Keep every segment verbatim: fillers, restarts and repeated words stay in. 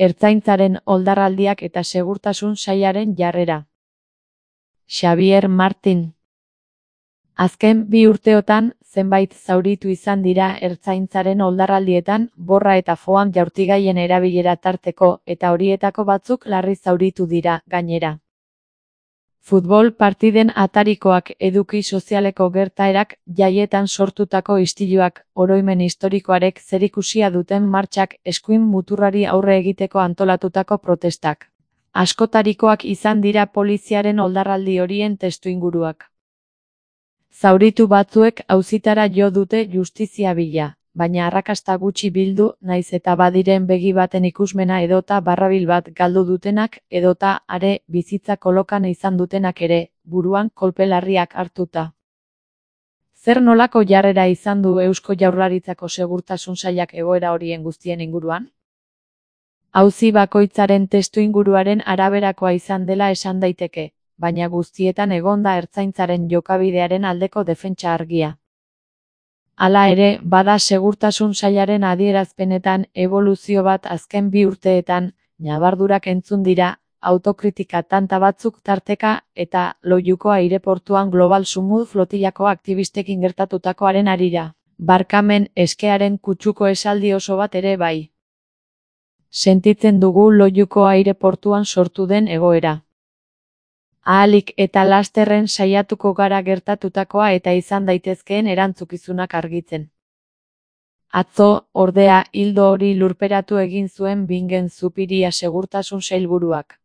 Ertzaintzaren oldarraldiak eta segurtasun sailaren jarrera. Xabier Martin. Azken bi urteotan, zenbait zauritu izan dira ertzaintzaren oldarraldietan, borra eta foam jaurtigaien erabilera tarteko, eta horietako batzuk larri zauritu dira, gainera. Futbol partiden atarikoak, eduki sozialeko gertaerak, jaietan sortutako istiluak, oroimen historikoarek zerikusia duten martxak, eskuin muturrari aurre egiteko antolatutako protestak. Askotarikoak izan dira poliziaren oldarraldi horien testuinguruak. Zauritu batzuek auzitara jo dute justizia bila, baina arrakasta gutxi bildu, naiz eta badiren begi baten ikusmena edota barrabil bat galdu dutenak, edota are bizitza kolokan izan dutenak ere, buruan kolpe larriak hartuta. Zer nolako jarrera izan du Eusko Jaurlaritzako segurtasun sailak egoera horien guztien inguruan? Auzi bakoitzaren testuinguruaren araberakoa izan dela esan daiteke, baina guztietan egonda ertzaintzaren jokabidearen aldeko defentsa argia. Hala ere, bada segurtasun sailaren adierazpenetan eboluzio bat azken bi urteetan, ñabardurak entzun dira, autokritika tanta batzuk tarteka, eta Loiuko aireportuan Global Sumud flotilako aktibistekin gertatutakoaren harira. Barkamen eskearen kutsuko esaldi oso bat ere bai. Sentitzen dugu Loiuko aireportuan sortu den egoera. Ahalik eta lasterren saiatuko gara gertatutakoa eta izan daitezkeen erantzukizunak argitzen. Atzo, ordea, ildo hori lurperatu egin zuen Bingen Zupiria segurtasun sailburuak.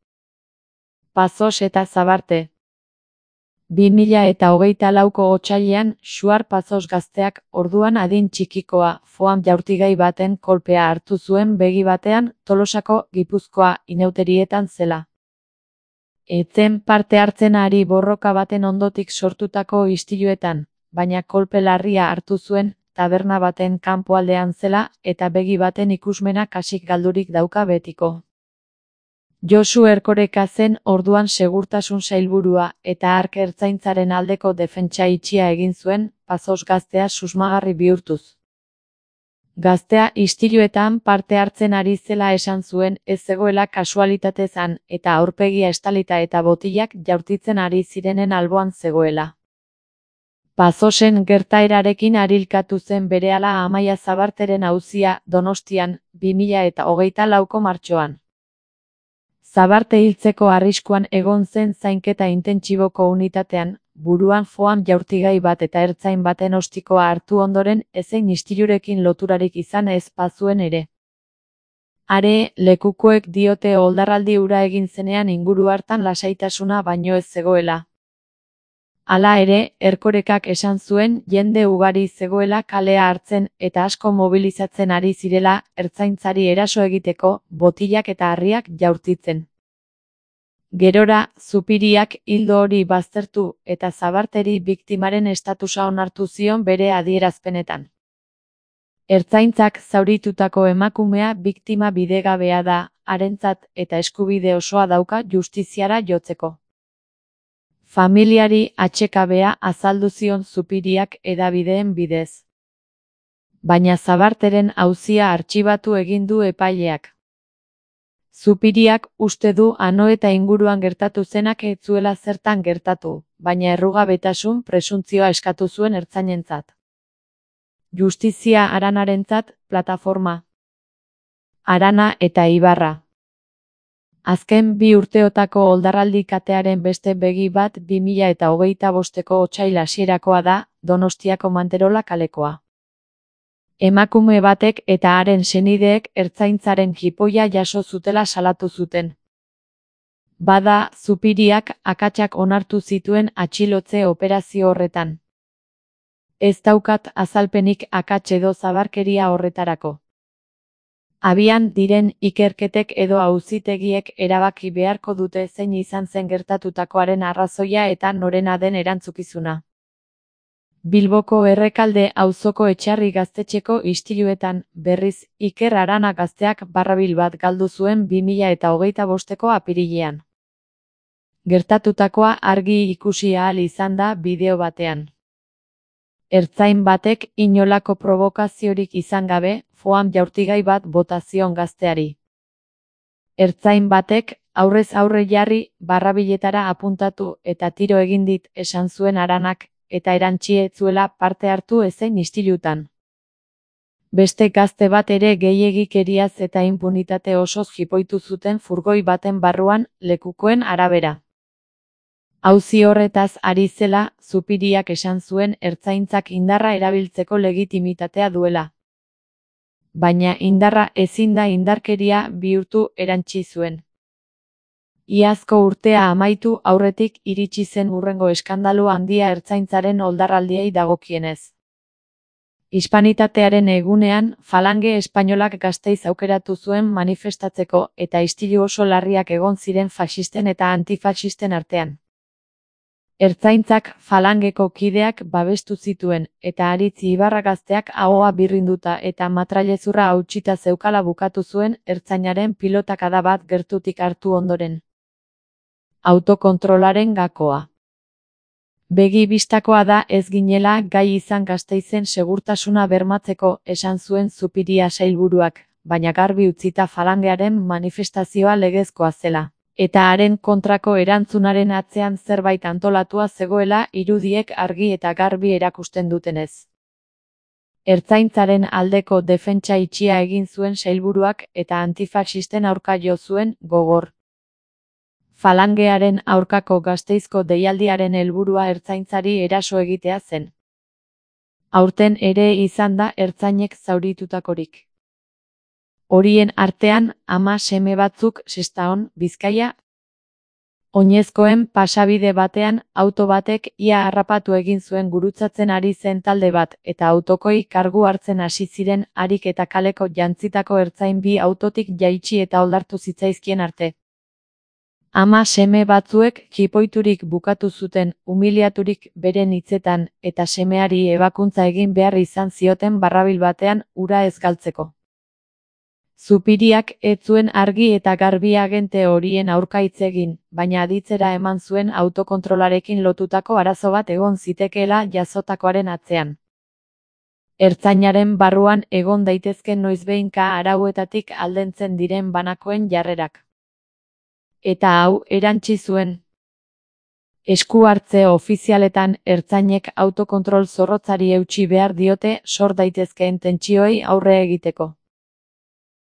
Pazos eta Zabarte. bi mila eta hogeita lauko otsailean, Xuar Pazos gazteak, orduan adin txikikoa, foam jaurtigai baten kolpea hartu zuen begi batean, Tolosako, Gipuzkoa, inauterietan zela. Etzen parte hartzen ari borroka baten ondotik sortutako istiluetan, baina kolpe larria hartu zuen, taberna baten kanpoaldean zela, eta begi baten ikusmena kasik galdurik dauka betiko. Josu Erkoreka zen orduan segurtasun sailburua, eta hark ertzaintzaren aldeko defentsa itxia egin zuen, Pazos gaztea susmagarri bihurtuz. Gaztea istiluetan parte hartzen ari zela esan zuen, ez zegoela kasualitatezan, eta aurpegia estalita eta botilak jaurtitzen ari zirenen alboan zegoela. Pazosen gertaerarekin arilkatu zen berehala Amaia Zabarteren auzia, Donostian, bi mila eta hogeita lauko martxoan. Zabarte hiltzeko arriskuan egon zen zainketa intentsiboko unitatean, buruan foam jaurtigai bat eta ertzain baten ostikoa hartu ondoren ezein istilurekin loturarik izan ez bazuen ere. Are, lekukoek diote oldarraldi hura egin zenean inguru hartan lasaitasuna baino ez zegoela. Hala ere, Erkorekak esan zuen jende ugari zegoela kalea hartzen eta asko mobilizatzen ari zirela ertzaintzari eraso egiteko, botilak eta harriak jaurtitzen. Gerora, Zupiriak hildo hori baztertu eta Zabarteri biktimaren estatusa onartu zion bere adierazpenetan. Ertzaintzak zauritutako emakumea biktima bidegabea da, harentzat eta eskubide osoa dauka justiziara jotzeko. Familiari atsekabea azaldu zion Zupiriak hedabideen bidez. Baina Zabarteren auzia artxibatu egin du epaileak. Zupiriak uste du ano eta inguruan gertatu zenak ez zuela zertan gertatu, baina errugabetasun presuntzioa eskatu zuen ertzainentzat. Justizia Aranarentzat, plataforma. Arana eta Ibarra. Azken bi urteotako oldarraldi katearen beste begi bat bi mila eta hogeita bosteko otsail hasierakoa da, Donostiako Manterola kalekoa. Emakume batek eta haren senideek ertzaintzaren jipoia jaso zutela salatu zuten. Bada, Zupiriak akatsak onartu zituen atxilotze operazio horretan. Ez daukat azalpenik akats edo zabarkeria horretarako. Abian diren ikerketek edo auzitegiek erabaki beharko dute zein izan zen gertatutakoaren arrazoia eta norena den erantzukizuna. Bilboko Errekalde auzoko Etxarri gaztetxeko istiluetan, berriz, Iker Arana gazteak barrabil bat galdu zuen bi mila eta hogeita bosteko apirilean. Gertatutakoa argi ikusi ahal izan da bideo batean. Ertzain batek inolako provokaziorik izan gabe, foam jaurtigai bat bota zion gazteari. Ertzain batek, aurrez aurre jarri, barrabiletara apuntatu eta tiro egin dit esan zuen Aranak, eta erantsi ez zuela parte hartu ezein istilutan. Beste gazte bat ere gehiegikeriaz eta inpunitate osoz jipoitu zuten furgoi baten barruan, lekukoen arabera. Auzi horretaz ari zela, Zupiriak esan zuen ertzaintzak indarra erabiltzeko legitimitatea duela. Baina indarra ezin da indarkeria bihurtu erantsi zuen. Iazko urtea amaitu aurretik iritsi zen hurrengo eskandalu handia ertzaintzaren oldarraldiei dagokienez. Hispanitatearen egunean, Falange espainolak Gasteiz aukeratu zuen manifestatzeko eta istilu oso larriak egon ziren faxisten eta antifaxisten artean. Ertzaintzak Falangeko kideak babestu zituen, eta Aritz Ibarra gazteak ahoa birrinduta eta matrailezurra hautsita zeukala bukatu zuen ertzainaren pilotakada bat gertutik hartu ondoren. Autokontrolaren gakoa. Begi bistakoa da ez ginela gai izan Gasteizen segurtasuna bermatzeko, esan zuen Zupiria sailburuak, baina garbi utzita Falangearen manifestazioa legezkoa zela, eta haren kontrako erantzunaren atzean zerbait antolatua zegoela irudiek argi eta garbi erakusten dutenez. Ertzaintzaren aldeko defentsa itxia egin zuen sailburuak eta antifaxisten aurka jo zuen gogor. Falangearen aurkako Gasteizko deialdiaren helburua ertzaintzari eraso egitea zen. Aurten ere izan da ertzainek zauritutakorik. Horien artean, ama seme batzuk Sestaon, Bizkaia. Oinezkoen pasabide batean, auto batek ia harrapatu egin zuen gurutzatzen ari zen talde bat, eta autokoi kargu hartzen hasi ziren harik eta kaleko jantzitako ertzain bi autotik jaitsi eta oldartu zitzaizkien arte. Ama seme batzuek jipoiturik bukatu zuten, umiliaturik beren hitzetan, eta semeari ebakuntza egin behar izan zioten barrabil batean ura ez galtzeko. Zupiriak ez zuen argi eta garbi agente horien aurka hitz egin, baina aditzera eman zuen autokontrolarekin lotutako arazo bat egon zitekeela jazotakoaren atzean. Ertzainaren barruan egon daitezken noizbehinka arauetatik aldentzen diren banakoen jarrerak. Eta hau erantsi zuen. Esku hartze ofizialetan ertzainek autokontrol zorrotzari eutsi behar diote sor daitezkeen tentsioei aurre egiteko.